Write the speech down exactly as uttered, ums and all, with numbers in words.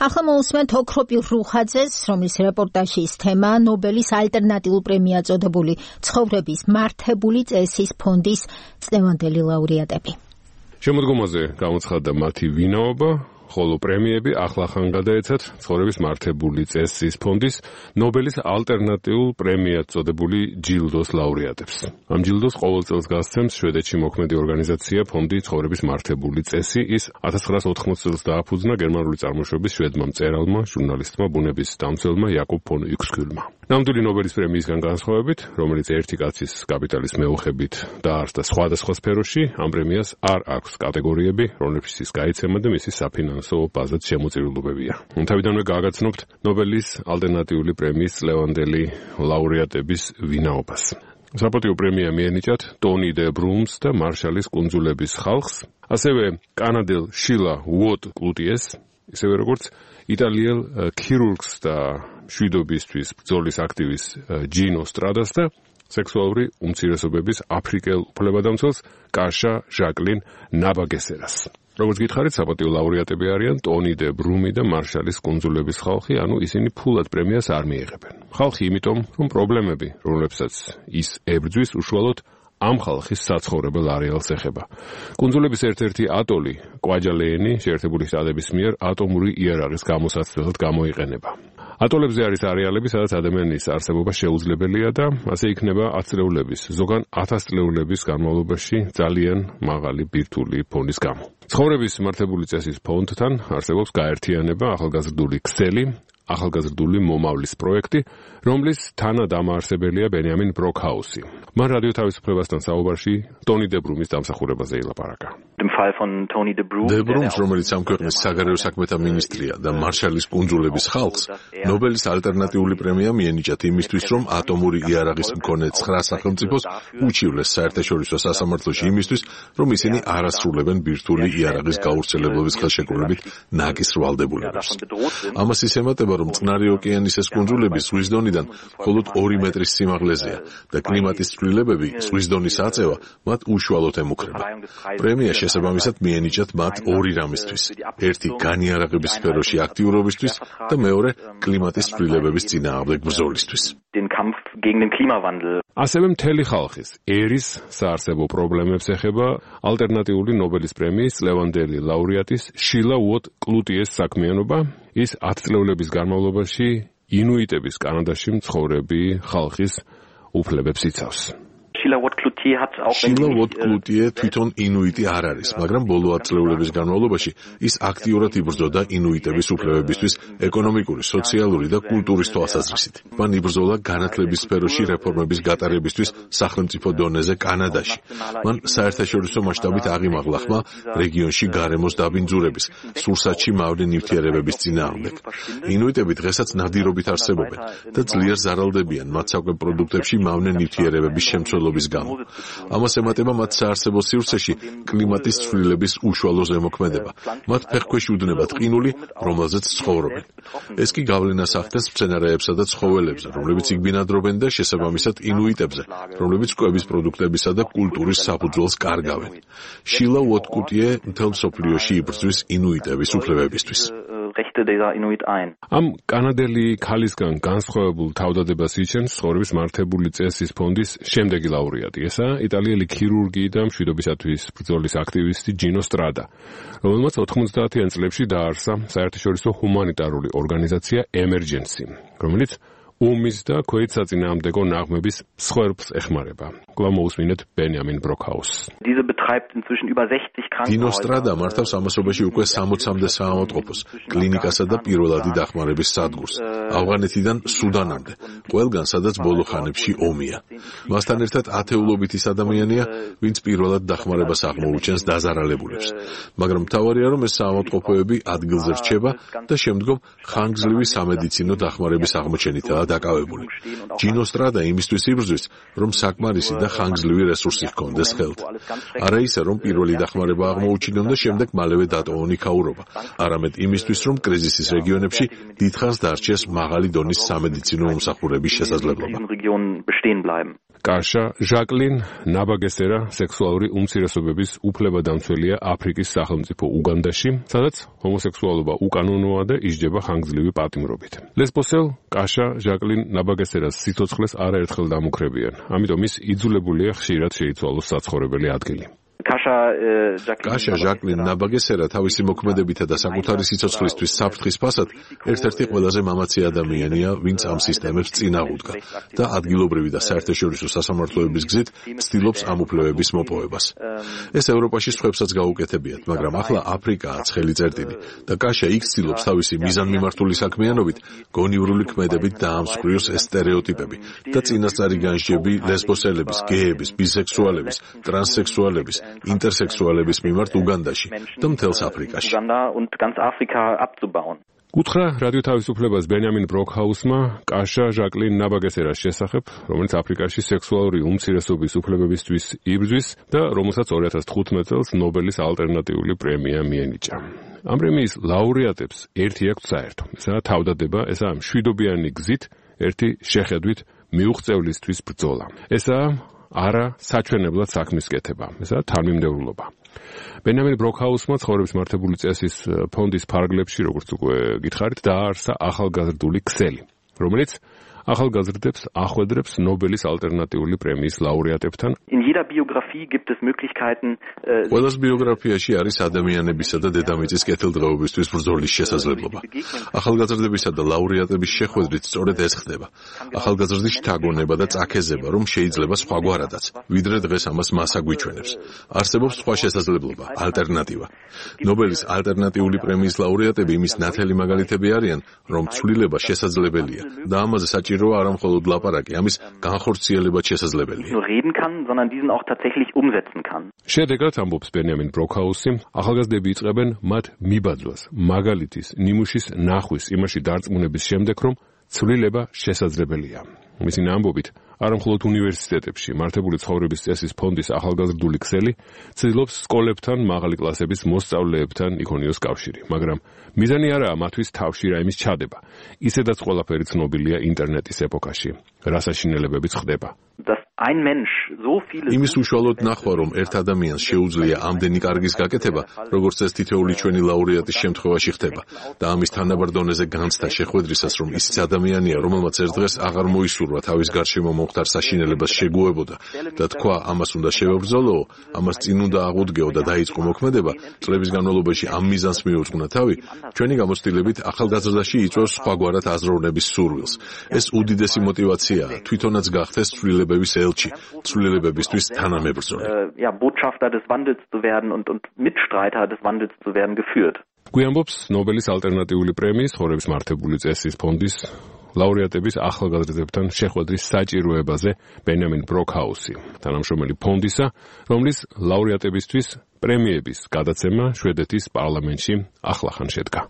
ახლა მოусმენთ ოქროპირ რუხაძეს, რომლის რეპორტაჟის თემა ნობელის ალტერნატიულ პრემია წოდებული ცხოვრების მართებული წესის ფონდის წლევანდელი ლაურეატები. შემოდგომაზე გამოცხადდა მათი ვინაობა, ხოლო პრემიები ახლახან გადაეცათ ცხოვრების მართებული წესის ფონდის ნობელის ალტერნატიულ პრემიად წოდებული ჯილდოს ლაურეატებს. ამ ჯილდოს ყოველ წელს გასცემს შვედეთში მოქმედი ორგანიზაცია ფონდი ცხოვრების მართებული წესი. ის ათას ცხრაასა ოთხმოცი წელს დააფუძნა გერმანული წარმოშობის შვედმა მწერალმა, ჟურნალისტმა, ბუნების დამცველმა იაკობ ფონ უიქსკიულმა. ნამდვილი ნობელის პრემიისგან განსხვავებით, რომელიც ერთი კაცის კაპიტალის მეუხებით დაარსდა სხვადასხვა სფეროში, ამ პრემიას არ აქვს კატეგორიები, რომლებშიც გაიცემა და მისი საფინანსო ბაზაც შემოწირულობებია. თავიდანვე გააგაცნობთ ნობელის ალტერნატიული პრემიის წლევანდელი ლაურეატების ვინაობას. საპატიო პრემია მიენიჭათ ტონი დე ბრუმს და მარშალის კუნძულების ხალხს, ასევე კანადელ შილა უოტ კლუტიეს, ისევე როგორც იტალიელ ქირურგს და მშვიდობისთვის ბრძოლის აქტივისტ ჯინო სტრადას და სექსუალური უმცირესობების აფრიკელ უფლებადამცველს კაშა ჟაკლინ ნაბაგესერას. როგორც გითხარით, საპატიო ლაურეატები არიან ტონი დე ბრუმი და მარშალის კუნძულების ხალხი, ანუ ისინი ფულად პრემიას არ მიიღებენ. ხალხი იმიტომ, რომ პრობლემები, რომლებსაც ის ებრძვის, უშუალოდ ამ ხალხის საცხოვრებელ არეალს ეხება. კუნძულების ერთ-ერთი ატოლი, კვაჯალეენი, შეერთებული შტატების მიერ ატომური იარაღის გამოსაცდელად გამოიყენება. ატოლებზე არის არეალები, სადაც ადამიანის არსებობა შეუძლებელია და ასე იქნება ათწლეულების, ზოგან ათასწლეულების განმავლობაში ძალიან მაღალი ბირთვული ფონის გამო. ცხოვრების მართებული წესის ფონდთან არსებობს გაერთიანება, ახალგაზრდული ქსელი, ახალგაზრდული მომავლის პროექტი, რომლის თანადამაარსებელია ბენიამინ ბროკჰაუსი. მან რადიო თავისუფლებასთან საუბარში ტონი დე ბრუმის დამსახურებაზე ილაპარაკა. დე ბრუმს, რომელიც ამ ქვეყნის საგარეო საქმეთა მინისტრია და მარშალის კუნძულების ხალხს, ნობელის ალტერნატიული პრემია მიენიჭათ იმისთვის, რომ ატომური იარაღის მქონე ცხრა სახელმწიფოს უჩივლეს საერთაშორისო სასამართლოში იმისთვის, რომ ისინი არ ასრულებენ ბირთვული იარაღის გავრცელებლობის ხელშეკრულებით ნაკის ვალდებულებებს. ამას ის ემატება, რომ წყნარი ოკეანის ეს კუნძულები ზღვის დონიდან მხოლოდ ორი მეტრის სიმაღლეზეა და კლიმატის ცვლილებები, ზღვის დონის აწევა მათ უშუალოდ ემუქრება. პრემია შესაბამისად მიენიჭათ მათ ორი რამისთვის: ერთი განიარაღების სფეროში აქტიურობისთვის და მეორე კლიმატის ცვლილებების წინააღმდეგ ბრძოლისთვის. ასევე მთელი ხალხის ერის საარსებო პრობლემებს ეხება ალტერნატიული ნობელის პრემიის წლევანდელი ლაურეატის შილა უოტ კლუტიეს საქმიანობა. ის ათწლეულების განმავლობაში ინუიტების კანადაში მცხოვრები ხალხის უფლებებს იცავს. შილა უოტ კლუტიე თვითონ ინუიტი არ არის, მაგრამ ბოლო ათწლეულების განმავლობაში ის აქტიურად იბრძოდა ინუიტების უფლებებისთვის ეკონომიკური, სოციალური და კულტურის თვალსაზრისით. მან იბრძოლა განათლების სფეროში რეფორმების გატარებისთვის სახელმწიფო დონეზე კანადაში. მან საერთაშორისო მასშტაბით აღიმაღლა ხმა რეგიონში გარემოს დაბინძურების, სურსათში მავნე ნივთიერებების წინააღმდეგ. ინუიტები დღესაც ნადირობით არსებობენ და ძლიერ ზარალდებიან მათ საკვებ პროდუქტებში მავნე ნივთიერებების შემცველობის გამო. ამას ემატება მათ საარსებო სივრცეში კლიმატის ცვლილების უშუალო ზემოქმედება. მათ ფეხქვეშ უდნებათ ყინული, რომელზეც ცხოვრობენ. ეს კი გავლენას ახდენს მცენარეებსა და ცხოველებზე, რომლებიც იქ ბინადრობენ და შესაბამისად ინუიტებზე, რომლებიც კვების პროდუქტებისა და კულტურის საფუძველს კარგავენ. შილა უოტ კლუტიე მთელ მსოფლიოში იბრძვის ინუიტების უფლებებისთვის. ამ კანადელი ქალისგან განსხვავებულ თავდადებას იჩენს ცხოვრების მართებული წესის ფონდის შემდეგი ლაურეატი. ესაა იტალიელი ქირურგი და მშვიდობისათვის ბრძოლის აქტივისტი ჯინო სტრადა, რომელმაც ოთხმოცდაათიან წლებში დააარსა საერთაშორისო ჰუმანიტარული ორგანიზაცია ემერჯენსი, რომელიც ომის და ქვეით საწინააღმდეგო ნაღმების მსხვერპლს ეხმარება. კვლავ მოусმინეთ ბენიამინ ბროკჰაუსს. ჯინო სტრადა მართავს ამასობაში უკვე სამოცამდე საავადმყოფოს, კლინიკასა და პირველადი დახმარების სადგურს, ავღანეთიდან სუდანამდე, ყველგან სადაც ბოლო ხანებში ომია. მასთან ერთად ათეულობით ის ადამიანია, ვინც პირველად დახმარებას აღმოუჩენს დაზარალებულებს. მაგრამ მთავარია, რომ ეს საავადმყოფოები ადგილზე რჩება და შემდგომ ხანგრძლივი სამედიცინო დახმარების აღმოჩენითაა დაკავებული. ჯინო სტრადა იმისთვის იბრძვის, რომ საკმარისი და ხანგრძლივი რესურსი ჰქონდეს ხელთ. არა ისე, რომ პირველი დახმარება აღმოუჩინონ და შემდეგ მალევე დატოვონ იქაურობა, არამედ იმისთვის, რომ კრიზისის რეგიონებში დიდხანს დარჩეს მაღალი დონის სამედიცინო მომსახურების შესაძლებლობა. კაშა ჟაკლინ ნაბაგესერა სექსუალური უმცირესობების უფლებადამცველია აფრიკის სახელმწიფო უგანდაში, სადაც ჰომოსექსუალობა უკანონოა და ისჯება ხანგრძლივი პატიმრობით. ლესბოსელ კაშა ჟაკლინ ნაბაგესერას სიცოცხლეს არაერთხელ დამუქრებიან, ამიტომ ის იძულებულია ხშირად შეიცვალოს საცხოვრებელი ადგილი. კაშა ჟაკლინ ნაბაგესერა თავისი მოქმედებითა და საკუთარი სიცოცხლისთვის საფრთხის ფასად ერთ-ერთი ყველაზე მამაცი ადამიანია, ვინც ამ სისტემებს წინ აღუდგა და ადგილობრივი და საერთაშორისო სასამართლოების გზით ცდილობს ამ უფლებების მოპოვებას. ეს ევროპაში სხვებსაც გაუკეთებიათ, მაგრამ ახლა აფრიკაა ცხელი წერტილი და კაშა იქ ცდილობს თავისი მიზანმიმართული საქმიანობით გონივრული ქმედებით დაამსხვრიოს ეს სტერეოტიპები და წინასწარი განსჯები ლესბოსელების, გეების, ბისექსუალების, ტრანსსექსუალების ინტერსექსუალების მიმართ უგანდაში და მთელს აფრიკაში. უთხრა რადიო თავისუფლებას ბენიამინ ბროკჰაუსმა კაშა ჟაკლინ ნაბაგესერას შესახებ, რომელიც აფრიკაში სექსუალური უმცირესობის უფლებებისთვის იბრძვის და რომელსაც ორი ათას თხუთმეტ წელს ნობელის ალტერნატიული პრემია მიენიჭა. ამ პრემიის ლაურეატებს ერთი აქვთ საერთო. ესაა თავდადება, ესაა მშვიდობიანი გზით ერთი შეხედვით მიუღწევლისთვის ბრძოლა. ესაა არა საჩვენებლად საქმის კეთება, ესაა თანმიმდევრულობა. ბენიამინ ბროკჰაუსმა ცხოვრების მართებული წესის ფონდის ფარგლებში, როგორც უკვე გითხარით, დააარსა ახალგაზრდული ქსელი, რომელიც ახალგაზრდებს ახვედრებს ნობელის ალტერნატიული პრემიის ლაურეატებთან. ყველას ბიოგრაფიაში არის ადამიანებისა და დედამიწის კეთილდღეობისთვის ბრძოლის შესაძლებლობა. ახალგაზრდებისა და ლაურეატების შეხვედრით სწორედ ეს ხდება. ახალგაზრდის შთაგონება და წაქეზება, რომ შეიძლება სხვაგვარადაც, ვიდრე დღეს ამას მასა გვიჩვენებს. არსებობს სხვა შესაძლებლობა, ალტერნატივა. ნობელის ალტერნატიული პრემიის ლაურეატები იმის ნათელი მაგალითები არიან, რომ ცვლილება შესაძლებელია და ამაზე საჭიროა არა მხოლოდ ლაპარაკი, ამის განხორციელებაც შესაძლებელია. შედეგად ამბობს ბენიამინ ბროკჰაუსი, ახალგაზრდები იწყებენ მათ მიბაძვას, მაგალითის, ნიმუშის ნახვის, იმაში დარწმუნების შემდეგ, რომ ცვლილება შესაძლებელია. მისი ამბობით, არა მხოლოდ უნივერსიტეტებში, მართებული ცხოვრების წესის ფონდის ახალგაზრდული ქსელი ცდილობს სკოლებთან, მაღალი კლასების მოსწავლეებთან იქონიოს კავშირი, მაგრამ მიზანი არაა მათთვის თავში რაიმის ჩადება. ისედაც ყველაფერი ცნობილია ინტერნეტის ეპოქაში, რა საშინელებებიც ხდება. იმის უშუალოდ ნახვა, რომ ერთ ადამიანს შეუძლია ამდენი კარგის გაკეთება, როგორც ეს თითოეული ჩვენი ლაურეატის შემთხვევაში ხდება და ამის თანაბარ დონეზე განცდა შეხვედრისას, რომ ისიც ადამიანია, რომელმაც ერთ დღეს აღარ მოისურვა თავის გარშემო მომხდარ საშინელებას შეგუებოდა და თქვა, ამას უნდა შევებრძოლო, ამას წინ უნდა აღუდგეო და დაიწყო მოქმედება, წლების განმავლობაში ამ მიზანს მიუძღვნა თავი, ჩვენი გამოცდილებით ახალგაზრდაში იწვევს სხვაგვარად აზროვნების სურვილს. ეს უდიდესი მოტივაციაა, თვითონაც გახდეს ცვლილებების ელჩი, ცვლილებებისთვის თანამებრძოლი. გვიამბობს ნობელის ალტერნატიული პრემიის ცხოვრების მართებული წესის ფონდის ლაურეატების ახალგაზრდებთან შეხვედრის საჭიროებაზე ბენიამინ ბროკჰაუსი, თანამშრომელი ფონდისა, რომლის ლაურეატებისთვის პრემიების გადაცემა შვედეთის პარლამენტში ახლახან შედგა.